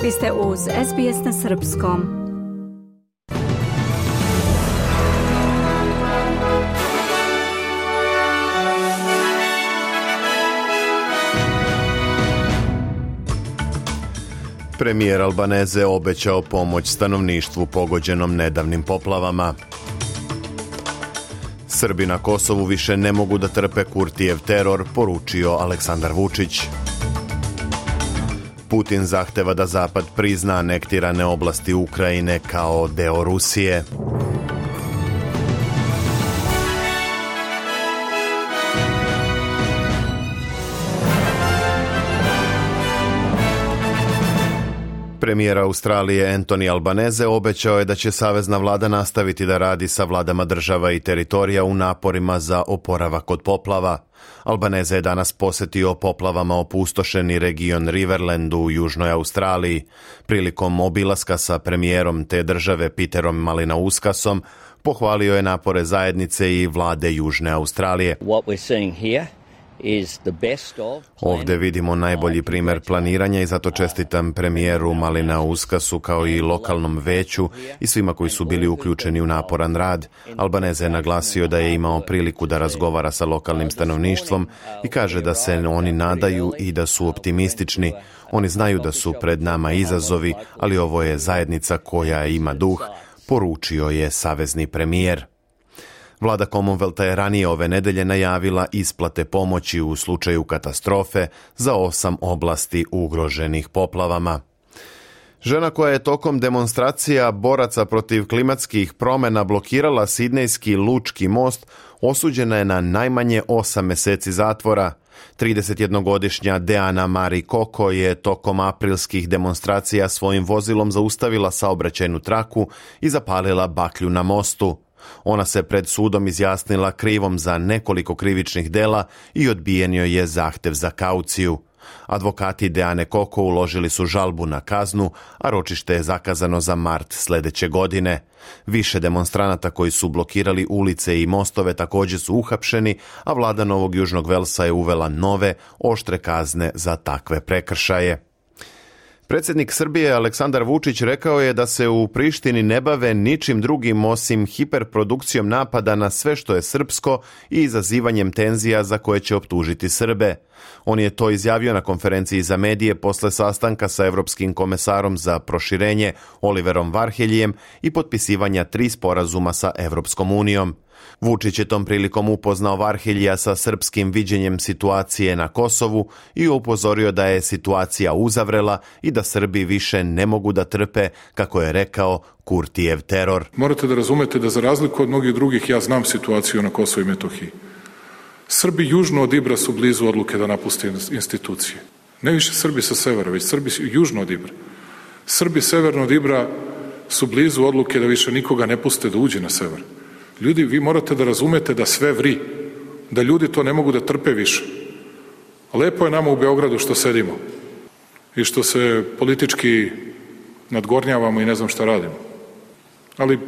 Vi ste uz SBS na srpskom. Premijer Albaneze obećao pomoć stanovništvu pogođenom nedavnim poplavama. Srbi na Kosovu više ne mogu da trpe Kurtijev teror, poručio Aleksandar Vučić. Putin zahteva da Zapad prizna anektirane oblasti Ukrajine kao deo Rusije. Premijer Australije Anthony Albanese obećao je da će savezna vlada nastaviti da radi sa vladama država i teritorija u naporima za oporavak od poplava. Albanese je danas posetio poplavama opustošeni region Riverlandu u Južnoj Australiji. Prilikom obilaska sa premijerom te države Peterom Malinauskasom pohvalio je napore zajednice i vlade Južne Australije. Ovdje vidimo najbolji primjer planiranja i zato čestitam premijeru Malinauskasu kao i lokalnom veću i svima koji su bili uključeni u naporan rad. Albanese je naglasio da je imao priliku da razgovara sa lokalnim stanovništvom i kaže da se oni nadaju i da su optimistični. Oni znaju da su pred nama izazovi, ali ovo je zajednica koja ima duh, poručio je savezni premijer. Vlada Commonwealtha je ranije ove nedelje najavila isplate pomoći u slučaju katastrofe za 8 oblasti ugroženih poplavama. Žena koja je tokom demonstracija boraca protiv klimatskih promjena blokirala Sidnejski lučki most osuđena je na najmanje 8 mjeseci zatvora. 31-godišnja Deana Marie Koko je tokom aprilskih demonstracija svojim vozilom zaustavila saobraćajnu traku i zapalila baklju na mostu. Ona se pred sudom izjasnila krivom za nekoliko krivičnih dela i odbijen joj je zahtev za kauciju. Advokati Deane Koko uložili su žalbu na kaznu, a ročište je zakazano za mart sljedeće godine. Više demonstranata koji su blokirali ulice i mostove također su uhapšeni, a vlada Novog Južnog Velsa je uvela nove, oštre kazne za takve prekršaje. Predsjednik Srbije Aleksandar Vučić rekao je da se u Prištini ne bave ničim drugim osim hiperprodukcijom napada na sve što je srpsko i izazivanjem tenzija za koje će optužiti Srbe. On je to izjavio na konferenciji za medije posle sastanka sa Europskim komesarom za proširenje Oliverom Varheljijem i potpisivanja 3 sporazuma sa Europskom unijom. Vučić je tom prilikom upoznao Varheljija sa srpskim viđenjem situacije na Kosovu i upozorio da je situacija uzavrela i da Srbi više ne mogu da trpe, kako je rekao, Kurtijev teror. Morate da razumete da za razliku od mnogih drugih ja znam situaciju na Kosovu i Metohiji. Srbi južno od Ibra su blizu odluke da napuste institucije. Ne više Srbi sa severa, već Srbi južno od Ibra. Srbi severno od Ibra su blizu odluke da više nikoga ne puste da uđe na sever. Ljudi, vi morate da razumete da sve vri, da ljudi to ne mogu da trpe više. Lepo je nama u Beogradu što sedimo i što se politički nadgornjavamo i ne znam šta radimo. Ali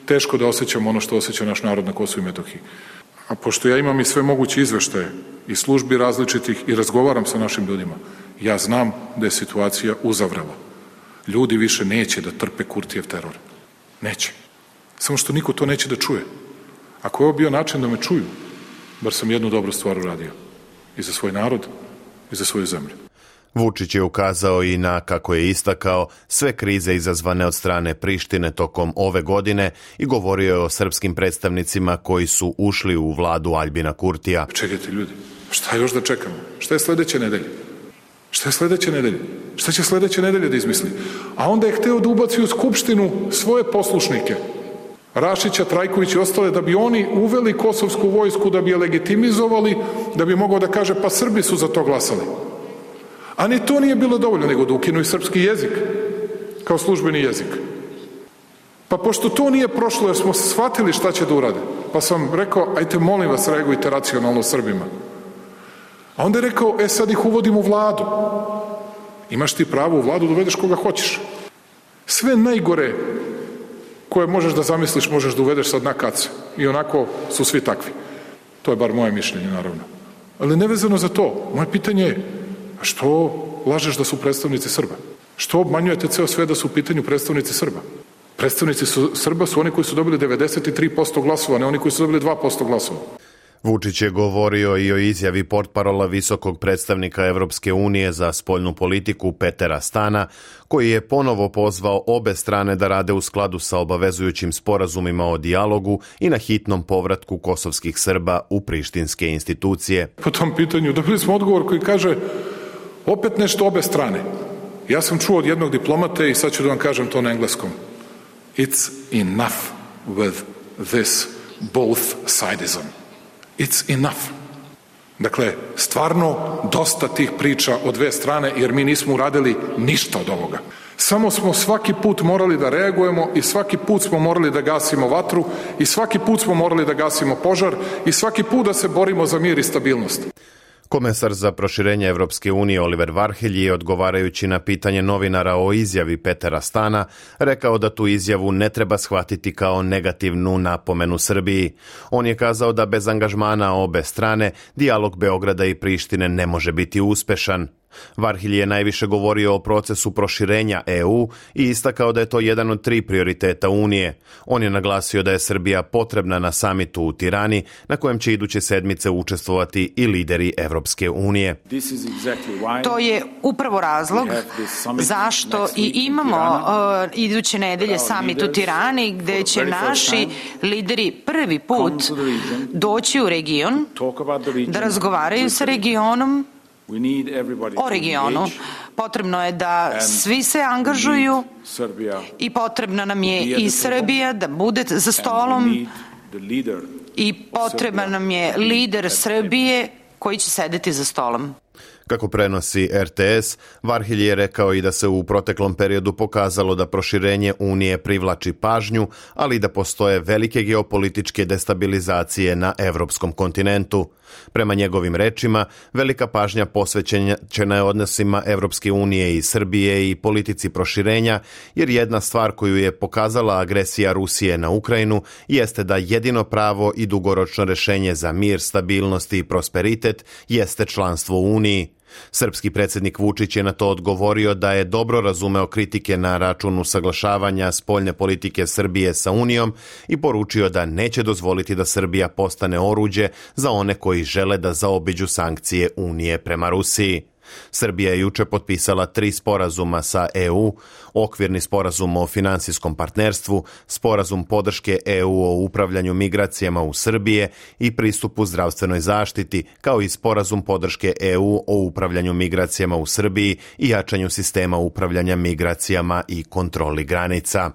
teško da osjećamo ono što osjeća naš narod na Kosovu i Metohiji. A pošto ja imam i sve moguće izveštaje i službi različitih i razgovaram sa našim ljudima, ja znam da je situacija uzavrela. Ljudi više neće da trpe Kurtijev teror. Neće. Samo što niko to neće da čuje. Ako je ovo bio način da me čuju, bar sam jednu dobru stvar uradio. I za svoj narod, i za svoju zemlju. Vučić je ukazao i na, kako je istakao, sve krize izazvane od strane Prištine tokom ove godine i govorio je o srpskim predstavnicima koji su ušli u vladu Aljbina Kurtija. Čekajte ljudi, šta još da čekamo? Šta je sledeće nedelje? Šta je sledeće nedelje? Šta će sledeće nedelje da izmisli? A onda je hteo da ubaci u Skupštinu svoje poslušnike. Rašića, Trajković i ostale, da bi oni uveli kosovsku vojsku, da bi je legitimizovali, da bi mogao da kaže pa Srbi su za to glasali. A ni to nije bilo dovoljno, nego da ukinu i srpski jezik kao službeni jezik. Pa pošto to nije prošlo jer smo shvatili šta će da urade, pa sam rekao, ajte molim vas reagujte racionalno Srbima. A onda je rekao, sad ih uvodim u vladu. Imaš ti pravo u vladu da uvedeš koga hoćeš. Sve najgore koje možeš da zamisliš možeš da uvedeš sad na kace. I onako su svi takvi. To je bar moje mišljenje, naravno. Ali nevezano za to, moje pitanje je, a što lažeš da su predstavnici Srba? Što obmanjujete ceo sve da su u pitanju predstavnici Srba? Predstavnici Srba su oni koji su dobili 93% glasova, ne oni koji su dobili 2% glasova. Vučić je govorio i o izjavi portparola visokog predstavnika Evropske unije za spoljnu politiku Petera Stana, koji je ponovo pozvao obe strane da rade u skladu sa obavezujućim sporazumima o dijalogu i na hitnom povratku kosovskih Srba u prištinske institucije. Po tom pitanju dobili smo odgovor koji kaže opet nešto obe strane. Ja sam čuo od jednog diplomate i sad ću da vam kažem to na engleskom. It's enough with this both-sidism. It's enough. Dakle, stvarno dosta tih priča od dve strane, jer mi nismo uradili ništa od ovoga. Samo smo svaki put morali da reagujemo i svaki put smo morali da gasimo vatru i svaki put smo morali da gasimo požar i svaki put da se borimo za mir i stabilnost. Komesar za proširenje Evropske unije Oliver Varhelj je, odgovarajući na pitanje novinara o izjavi Petera Stana, rekao da tu izjavu ne treba shvatiti kao negativnu napomenu Srbiji. On je kazao da bez angažmana obe strane dijalog Beograda i Prištine ne može biti uspešan. Varhelj je najviše govorio o procesu proširenja EU i istakao da je to jedan od 3 prioriteta Unije. On je naglasio da je Srbija potrebna na samitu u Tirani, na kojem će iduće sedmice učestvovati i lideri Evropske unije. To je upravo razlog zašto i imamo iduće nedelje samit u Tirani, gde će naši lideri prvi put doći u region da razgovaraju sa regionom o regionu. Potrebno je da svi se angažuju i potrebna nam je i Srbija da bude za stolom i potreban nam je lider Srbije koji će sedeti za stolom. Kako prenosi RTS, Varhelj je rekao i da se u proteklom periodu pokazalo da proširenje Unije privlači pažnju, ali i da postoje velike geopolitičke destabilizacije na evropskom kontinentu. Prema njegovim rečima, velika pažnja posvećena je odnosima Evropske unije i Srbije i politici proširenja, jer jedna stvar koju je pokazala agresija Rusije na Ukrajinu jeste da jedino pravo i dugoročno rešenje za mir, stabilnost i prosperitet jeste članstvo u Uniji. Srpski predsjednik Vučić je na to odgovorio da je dobro razumeo kritike na račun usaglašavanja spoljne politike Srbije sa Unijom i poručio da neće dozvoliti da Srbija postane oruđe za one koji žele da zaobiđu sankcije Unije prema Rusiji. Srbija je juče potpisala 3 sporazuma sa EU, okvirni sporazum o finansijskom partnerstvu, sporazum podrške EU o upravljanju migracijama u Srbije i pristupu zdravstvenoj zaštiti, kao i sporazum podrške EU o upravljanju migracijama u Srbiji i jačanju sistema upravljanja migracijama i kontroli granica.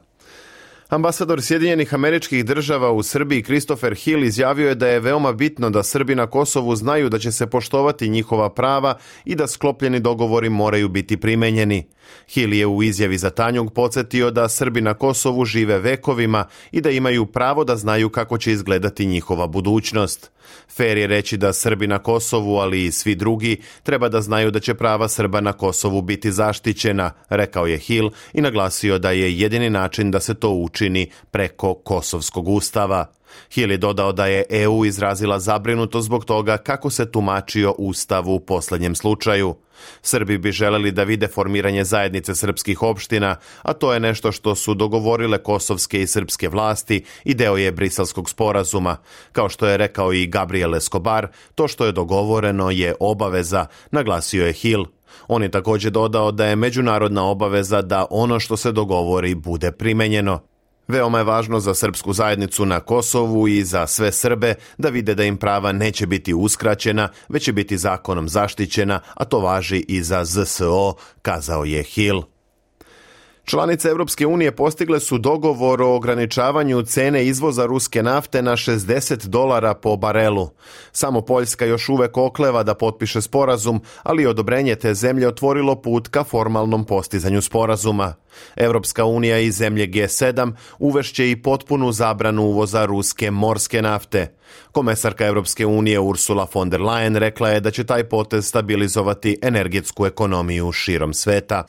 Ambasador Sjedinjenih Američkih Država u Srbiji Christopher Hill izjavio je da je veoma bitno da Srbi na Kosovu znaju da će se poštovati njihova prava i da sklopljeni dogovori moraju biti primenjeni. Hill je u izjavi za Tanjug podsjetio da Srbi na Kosovu žive vekovima i da imaju pravo da znaju kako će izgledati njihova budućnost. Fer je reći da Srbi na Kosovu, ali i svi drugi, treba da znaju da će prava Srba na Kosovu biti zaštićena, rekao je Hill i naglasio da je jedini način da se to učini preko Kosovskog ustava. Hill je dodao da je EU izrazila zabrinutost zbog toga kako se tumačio ustav u posljednjem slučaju. Srbi bi želeli da vide formiranje zajednice srpskih opština, a to je nešto što su dogovorile kosovske i srpske vlasti i deo je Briselskog sporazuma. Kao što je rekao i Gabriel Escobar, to što je dogovoreno je obaveza, naglasio je Hill. On je također dodao da je međunarodna obaveza da ono što se dogovori bude primenjeno. Veoma je važno za srpsku zajednicu na Kosovu i za sve Srbe da vide da im prava neće biti uskraćena, već će biti zakonom zaštićena, a to važi i za ZSO, kazao je Hill. Članice Evropske unije postigle su dogovor o ograničavanju cene izvoza ruske nafte na $60 po barelu. Samo Poljska još uvek okleva da potpiše sporazum, ali odobrenje te zemlje otvorilo put ka formalnom postizanju sporazuma. Evropska unija i zemlje G7 uvešće i potpunu zabranu uvoza ruske morske nafte. Komesarka Evropske unije Ursula von der Leyen rekla je da će taj potez stabilizovati energetsku ekonomiju širom sveta.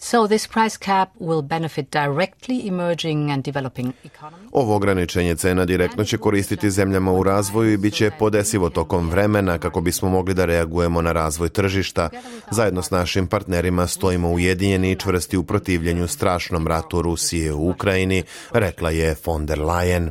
Ovo ograničenje cena direktno će koristiti zemljama u razvoju i bit će podesivo tokom vremena kako bismo mogli da reagujemo na razvoj tržišta. Zajedno s našim partnerima stojimo ujedinjeni i čvrsti u protivljenju strašnom ratu Rusije u Ukrajini, rekla je von der Leyen.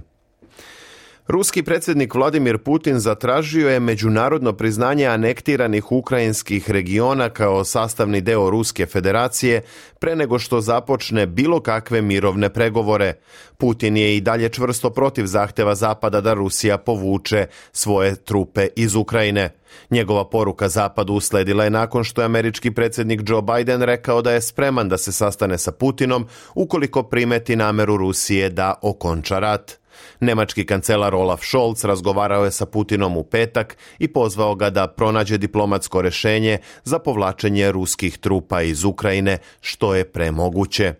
Ruski predsjednik Vladimir Putin zatražio je međunarodno priznanje anektiranih ukrajinskih regiona kao sastavni deo Ruske federacije pre nego što započne bilo kakve mirovne pregovore. Putin je i dalje čvrsto protiv zahteva Zapada da Rusija povuče svoje trupe iz Ukrajine. Njegova poruka Zapadu usledila je nakon što je američki predsjednik Joe Biden rekao da je spreman da se sastane sa Putinom ukoliko primeti nameru Rusije da okonča rat. Nemački kancelar Olaf Scholz razgovarao je sa Putinom u petak i pozvao ga da pronađe diplomatsko rješenje za povlačenje ruskih trupa iz Ukrajine što je premoguće.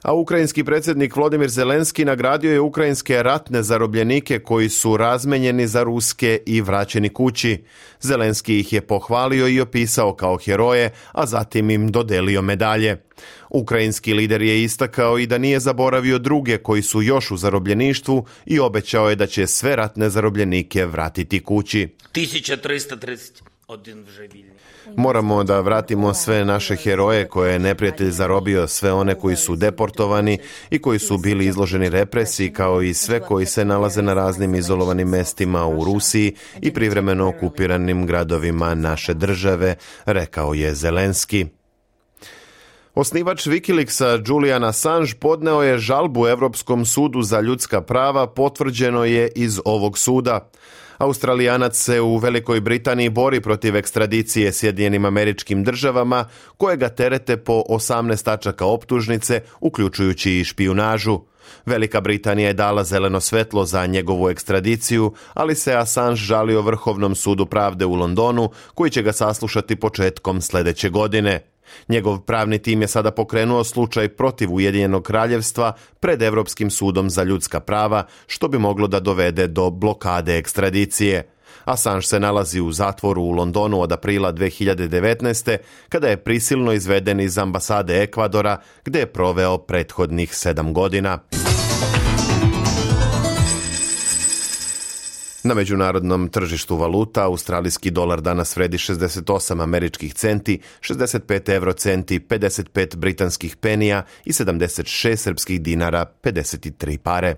A ukrajinski predsjednik Volodymyr Zelenski nagradio je ukrajinske ratne zarobljenike koji su razmenjeni za ruske i vraćeni kući. Zelenski ih je pohvalio i opisao kao heroje, a zatim im dodelio medalje. Ukrajinski lider je istakao i da nije zaboravio druge koji su još u zarobljeništvu i obećao je da će sve ratne zarobljenike vratiti kući. 1330 Moramo da vratimo sve naše heroje koje je neprijatelj zarobio, sve one koji su deportovani i koji su bili izloženi represiji, kao i sve koji se nalaze na raznim izolovanim mestima u Rusiji i privremeno okupiranim gradovima naše države, rekao je Zelenski. Osnivač Wikileaksa Julian Assange podneo je žalbu Europskom sudu za ljudska prava, potvrđeno je iz ovog suda. Australijanac se u Velikoj Britaniji bori protiv ekstradicije Sjedinjenim Američkim Državama, koje ga terete po 18 tačaka optužnice, uključujući i špijunažu. Velika Britanija je dala zeleno svetlo za njegovu ekstradiciju, ali se Assange žalio Vrhovnom sudu pravde u Londonu, koji će ga saslušati početkom sljedeće godine. Njegov pravni tim je sada pokrenuo slučaj protiv Ujedinjenog kraljevstva pred Europskim sudom za ljudska prava, što bi moglo da dovede do blokade ekstradicije. Assange se nalazi u zatvoru u Londonu od aprila 2019. kada je prisilno izveden iz ambasade Ekvadora, gdje je proveo prethodnih 7 godina. Na međunarodnom tržištu valuta australijski dolar danas vredi 68 američkih centi, 65 eurocenti, 55 britanskih penija i 76 srpskih dinara, 53 pare.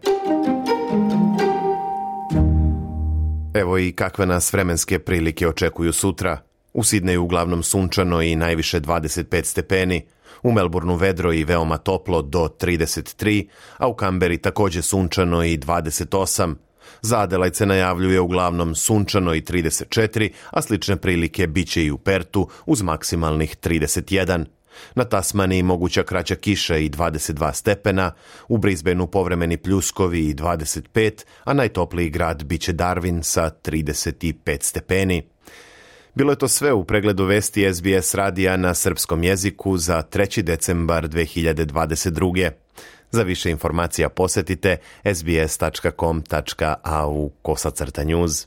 Evo i kakve nas vremenske prilike očekuju sutra. U Sidneju uglavnom sunčano i najviše 25 stepeni. U Melbourneu vedro i veoma toplo do 33, a u Kamberi također sunčano i 28. Za Adelaide se najavljuje uglavnom sunčano i 34, a slične prilike biće i u Pertu uz maksimalnih 31. Na Tasmaniji moguća kraća kiša i 22 stepena, u Brisbaneu povremeni pljuskovi i 25, a najtopliji grad biće Darwin sa 35 stepeni. Bilo je to sve u pregledu vesti SBS radija na srpskom jeziku za 3. decembar 2022. Za više informacija posjetite sbs.com.au/news.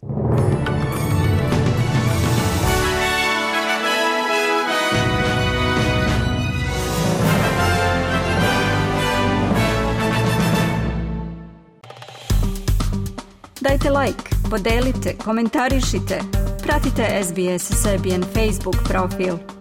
Dajte like, podelite, komentarišite. Pratite SBS Serbian Facebook profil.